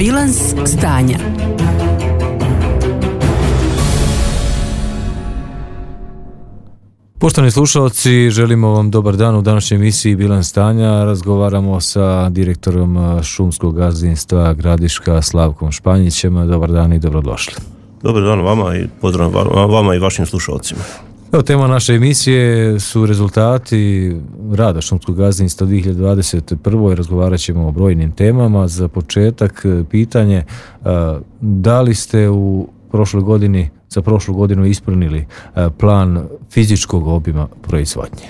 Bilans stanja. Poštovani slušalci, želimo vam dobar dan u današnjoj emisiji Bilans stanja. Razgovaramo sa direktorom šumskog gazdinstva Gradiška Slavkom Španjićem. Dobar dan i dobrodošli. Dobar dan vama i pozdrav vama i vašim slušalcima. Evo, tema naše emisije su rezultati rada šumskog gazdinstva 2021. Razgovarat ćemo o brojnim temama. Za početak pitanje, da li ste za prošlu godinu ispunili plan fizičkog obima proizvodnje?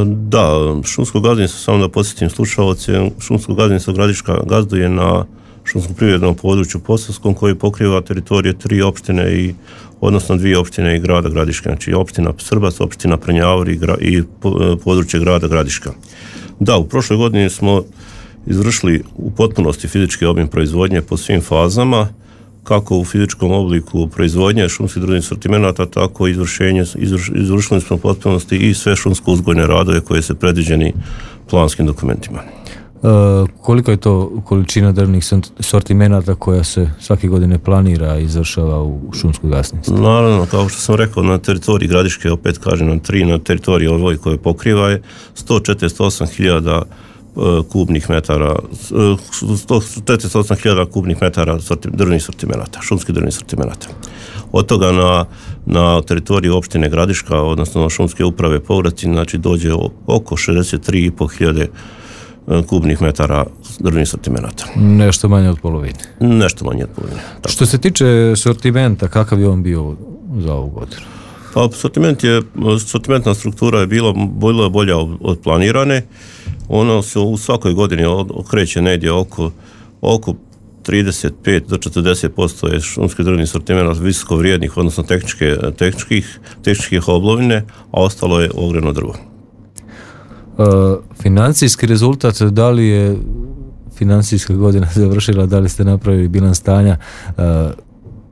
Da, šumsko gazdinstvo, samo da podsjetim slušalce, šumsko gazdinstvo Gradiška gazduje na šumskom privrednom području Posavskom koji pokriva teritorije 3 opštine odnosno 2 opštine i grada Gradiška, znači opština Srbac, opština Prnjavor i područje grada Gradiška. Da, u prošloj godini smo izvršili u potpunosti fizički obim proizvodnje po svim fazama, kako u fizičkom obliku proizvodnje šumskih drvnih sortimenata, tako i izvršili smo u potpunosti i sve šumsko-uzgojne radove koje su predviđeni planskim dokumentima. Koliko je to količina drvnih sortimenata koja se svake godine planira i izvršava u šumskog gazdinstvu? Naravno, kao što sam rekao, na teritoriji Gradiške, opet kažem na 3, na teritoriji ovoj koje pokriva je 148.000 kubnih metara, 148.000 kubnih metara drvnih sortimenata, šumskih drvnih sortimenata. Od toga na teritoriju opštine Gradiška, odnosno šumske uprave Povratin, znači dođe oko 63.500 kubnih metara drvnih sortimenata. Nešto manje od polovine. Nešto manje od polovine. Tako. Što se tiče sortimenta, kakav je on bio za ovu godinu? Pa sortimentna struktura je bila bolja od planirane. Ono se u svakoj godini okreće negdje oko 35 do 40% je šumskih drvnih sortimenata visoko vrijednih, odnosno tehničkih oblovine, a ostalo je ogrjevno drvo. Financijski rezultat, da li je financijska godina završila, da li ste napravili bilans stanja,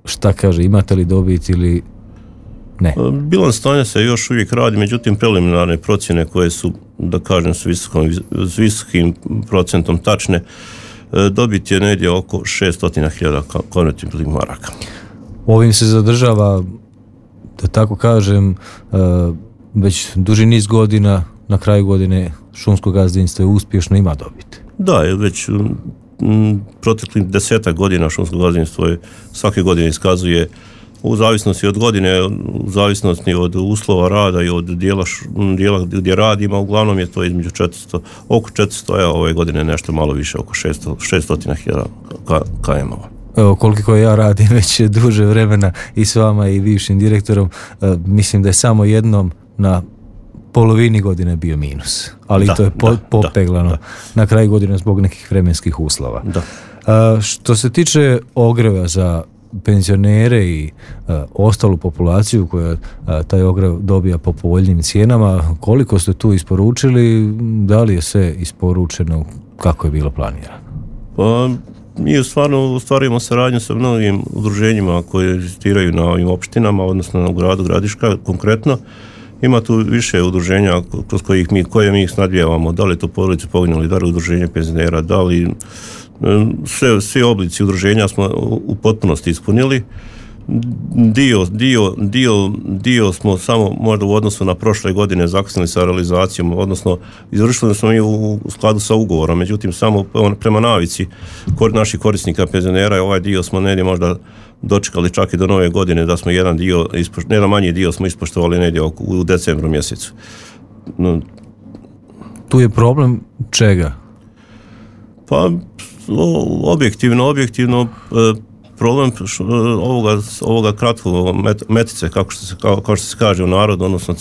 šta kaže, imate li dobit ili ne? Bilans stanja se još uvijek radi, međutim preliminarne procjene koje su, da kažem, s visokim procentom tačne, dobit je negdje oko 600.000 konvertibilnih maraka. Ovim se zadržava, da tako kažem, već duži niz godina. Na kraju godine šumsko gazdinstvo je uspješno, ima dobit. Da, već proteklih 10 godina šumsko gazdinstvo svake godine iskazuje, u zavisnosti od godine, u zavisnosti od uslova rada i od dijela gdje radimo, uglavnom je to između oko 400, a ove godine nešto malo više, oko 600.000 km-ova. Evo, koliko ja radim već duže vremena i s vama i bivšim direktorom, mislim da je samo jednom na polovini godine bio minus, ali to je popeglano na kraju godine zbog nekih vremenskih uslova. Što se tiče ogreva za penzionere i ostalu populaciju koja taj ogrev dobija po povoljnim cijenama, koliko ste tu isporučili, da li je sve isporučeno kako je bilo planirano? Pa mi stvarno ostvarujemo saradnju sa mnogim udruženjima koje existiraju na ovim opštinama, odnosno u gradu Gradiška konkretno. Ima tu više udruženja kroz koje mi ih snadbijavamo, da li je to porodice poginulih, da li udruženje penzionera, da li svi oblici udruženja smo u potpunosti ispunili. Dio smo samo možda u odnosu na prošle godine zakasnili sa realizacijom, odnosno izvršili smo i u skladu sa ugovorom, međutim samo prema navici naših korisnika penzionera ovaj dio smo negdje možda dočekali čak i do nove godine da smo jedan manji dio smo ispoštovali negdje u decembru mjesecu. Tu je problem čega? Pa objektivno problem ovoga kratkog metice, kao što se kaže u narodu, odnosno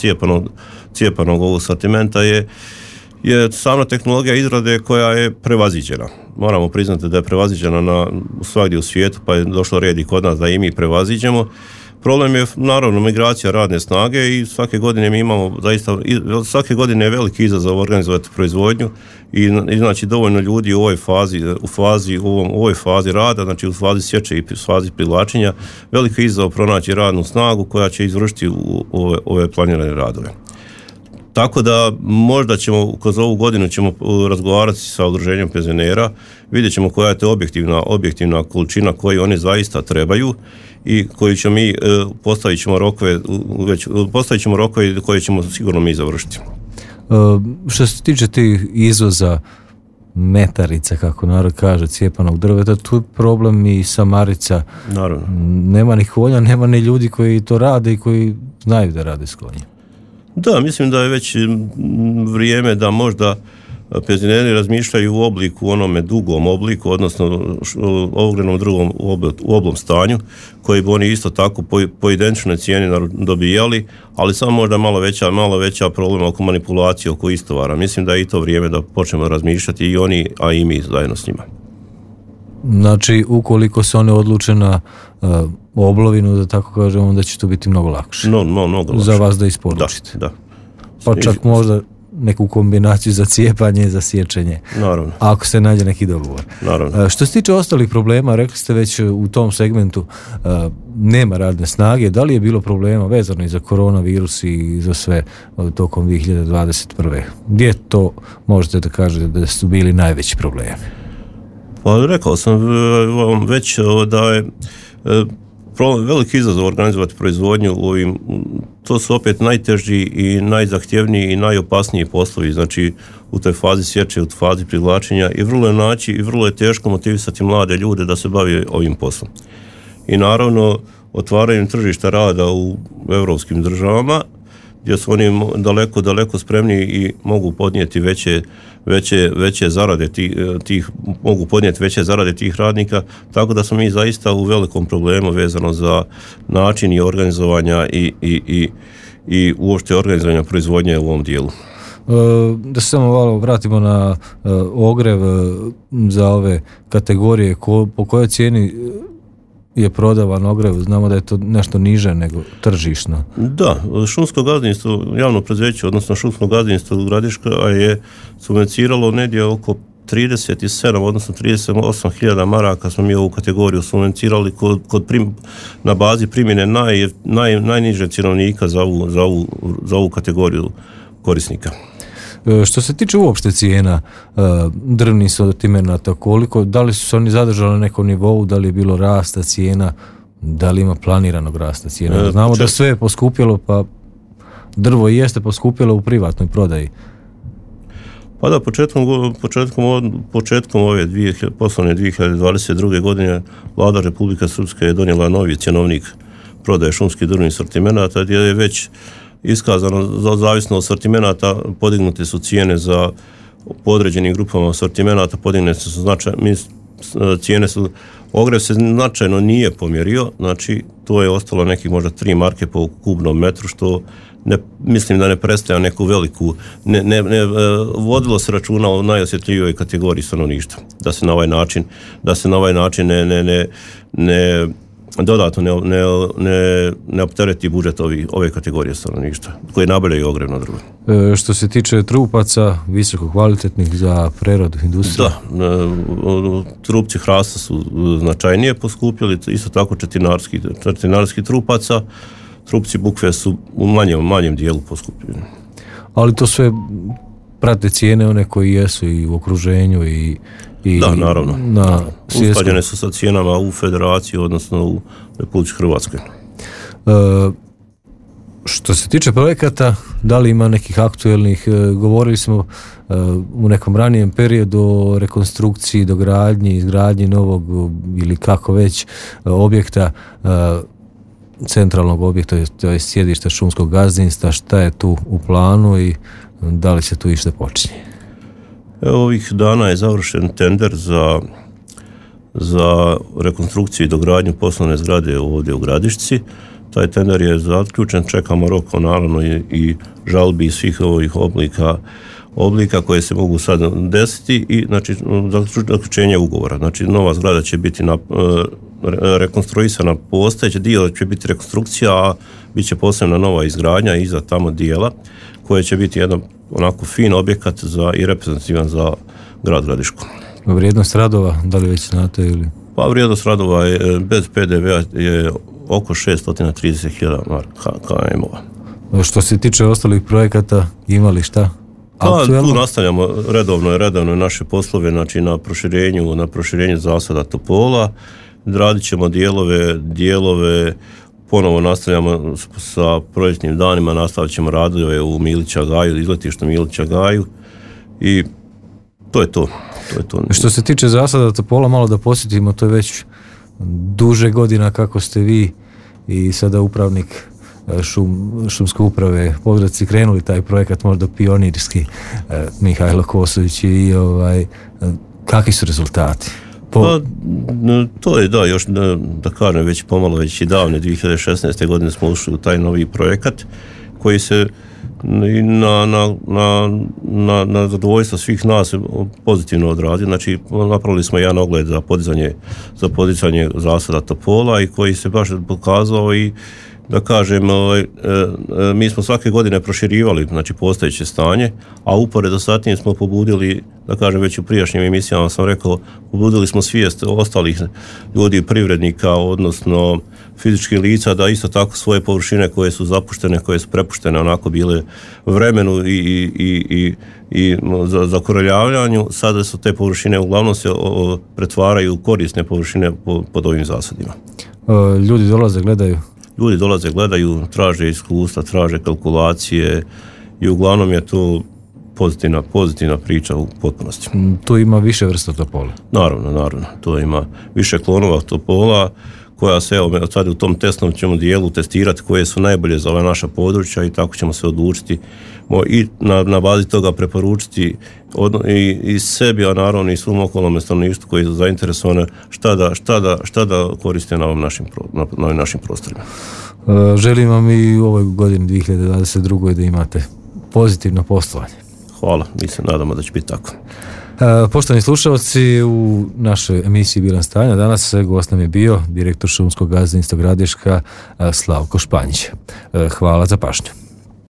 cijepanog ovog sortimenta je sama tehnologija izrade koja je prevaziđena. Moramo priznati da je prevaziđena svagdje u svijetu, pa je došlo red i kod nas da i mi prevaziđemo. Problem je naravno migracija radne snage i svake godine mi imamo svake godine je veliki izazov organizovati proizvodnju i znači dovoljno ljudi u ovoj fazi rada, znači u fazi sječe i fazi privlačenja, veliki izazov pronaći radnu snagu koja će izvršiti ove planirane radove. Tako da možda ćemo kroz ovu godinu ćemo razgovarati sa udruženjem penzionera, vidjet ćemo koja je to objektivna količina koju oni zaista trebaju i koju ćemo mi postavit ćemo rokove koje ćemo sigurno mi završiti. Što se tiče tih izvoza metarica, kako narod kaže, cijepanog drveta, tu je problem i samarica. Naravno. Nema ni konja, nema ni ljudi koji to rade i koji znaju da rade s konjem. Da, mislim da je već vrijeme da možda penzioneri razmišljaju u onome dugom obliku, odnosno ogrenom drugom u oblom stanju, koji bi oni isto tako po identičnoj cijeni dobijali, ali samo možda malo veća problema oko manipulacije, oko istovara. Mislim da je i to vrijeme da počnemo razmišljati i oni, a i mi zajedno s njima. Znači, ukoliko se one odluče na oblovinu, da tako kažem, onda će to biti mnogo lakše. Mnogo lakše. Za vas da isporučite. Da. Pa čak možda neku kombinaciju za cijepanje i za sječenje. Naravno. Ako se nađe neki dogovor. Naravno. Što se tiče ostalih problema, rekli ste već u tom segmentu nema radne snage. Da li je bilo problema vezano i za koronavirus i za sve tokom 2021. Gdje to možete da kažete da su bili najveći problemi? Pa rekao sam već da je veliki izazov organizovati proizvodnju u ovim, to su opet najteži i najzahtjevniji i najopasniji poslovi, znači u toj fazi sječe, u fazi privlačenja i vrlo je teško motivisati mlade ljude da se bave ovim poslom. I naravno otvaranjem tržišta rada u europskim državama gdje su oni daleko spremniji i mogu podnijeti veće zarade mogu podnijeti veće zarade tih radnika, tako da smo mi zaista u velikom problemu vezano za način i organizovanja i uopšte organizovanja proizvodnje u ovom dijelu. Da se samo malo vratimo na ogrev za ove kategorije, po kojoj cijeni je prodavan ogrev, znamo da je to nešto niže nego tržišno. Da, šumsko gazdinstvo, javno preduzeće, odnosno šumsko gazdinstvo Gradiška je subvencioniralo negdje oko 37, odnosno 38.000 maraka smo mi ovu kategoriju subvencionirali na bazi primjene najniže cjenovnika za ovu kategoriju korisnika. Što se tiče uopšte cijena drvnih sortimenata, da li su se oni zadržali na nekom nivou, da li je bilo rasta cijena, da li ima planiranog rasta cijena? Znamo da sve je poskupjelo, pa drvo i jeste poskupjelo u privatnoj prodaji. Pa da, početkom ove poslovne 2022. godine Vlada Republike Srpske je donijela novi cjenovnik prodaje šumskih drvnih sortimenata, gdje je već iskazano zavisno od sortimenata podignute su cijene za po određenim grupama sortimenata, podignute su cijene su, ogrev se značajno nije pomjerio, znači to je ostalo nekih možda 3 marke po kubnom metru, što mislim da ne predstavlja neku veliku, vodilo se računa o najosjetljivijoj kategoriji stanovništva, da se na ovaj način ne dodatno ne optereti budžet ove kategorije stanovništva koje nabavljaju ogrevno drvo. Što se tiče trupaca, visoko kvalitetnih za preradu industrije? Da, trupci hrasta su značajnije poskupjeli, isto tako četinarski trupaca, trupci bukve su u manjem dijelu poskupljeni. Ali to sve prate cijene one koji jesu i u okruženju i da, naravno. Usklađene su sa cijenama u federaciji, odnosno u Republici Hrvatskoj. Što se tiče projekata, da li ima nekih aktuelnih, govorili smo u nekom ranijem periodu o rekonstrukciji, dogradnji, izgradnji novog ili kako već objekta, centralnog objekta, to je sjedište šumskog gazdinstva, šta je tu u planu i da li se tu išta počinje? Ovih dana je završen tender za rekonstrukciju i dogradnju poslovne zgrade ovdje u Gradišci. Taj tender je zaključen, čekamo rok naravno i žalbi svih ovih oblika koje se mogu sad desiti i znači zaključenje ugovora. Znači nova zgrada će biti rekonstruisana, postojeći dio će biti rekonstrukcija, a bit će posebna nova izgradnja iza tamo dijela koje će biti jedan onako fin objekat i reprezentativan za grad Gradišku. Vrijednost radova, da li već znate ili? Pa vrijednost radova je bez PDV-a je oko 630.000 KM-ova. Što se tiče ostalih projekata, imali šta? Tu nastavljamo redovno naše poslove, znači na proširenju zasada topola, radit ćemo dijelove, ponovo nastavljamo sa projektnim danima, nastavit ćemo radove u Milića Gaju, izletištu Milića Gaju i to je to. Što se tiče zasada topola, malo da posjetimo, to je već duže godina kako ste vi i sada upravnik šumske uprave Podravci krenuli taj projekat, možda pionirski, Mihajlo Kosović, i kakvi su rezultati? To je još da kažem već pomalo, već i davne 2016. godine smo ušli u taj novi projekat koji se na zadovoljstvo svih nas pozitivno odradio. Znači napravili smo jedan ogled za podizanje zasada topola i koji se baš pokazao i da kažem, mi smo svake godine proširivali, znači, postojeće stanje, a uporedo sa tim smo pobudili, da kažem, već u prijašnjim emisijama sam rekao, pobudili smo svijest ostalih ljudi, privrednika, odnosno fizičkih lica, da isto tako svoje površine koje su zapuštene, koje su prepuštene onako bile vremenu i za koroljavljanju, sada su te površine uglavnom se pretvaraju u korisne površine pod ovim zasadima. Ljudi dolaze, gledaju, traže iskustva, traže kalkulacije i uglavnom je to pozitivna priča u potpunosti. Tu ima više vrsta topola? Naravno. To ima više klonova topola koja se, evo sad u tom testnom ćemo dijelu testirati koje su najbolje za ova naša područja i tako ćemo se odlučiti i na bazi toga preporučiti i sebi, a naravno i svom okolnom stanovništvu koji su zainteresovani šta da koriste na ovim našim prostorima. Želim vam i u ovoj godini 2022. da imate pozitivno poslovanje. Hvala, mi se nadamo da će biti tako. Poštovani slušalci, u našoj emisiji Bilanc stanja danas gost nam je bio direktor šumskog gazdinstva Gradiška Slavko Španjić. Hvala za pažnju.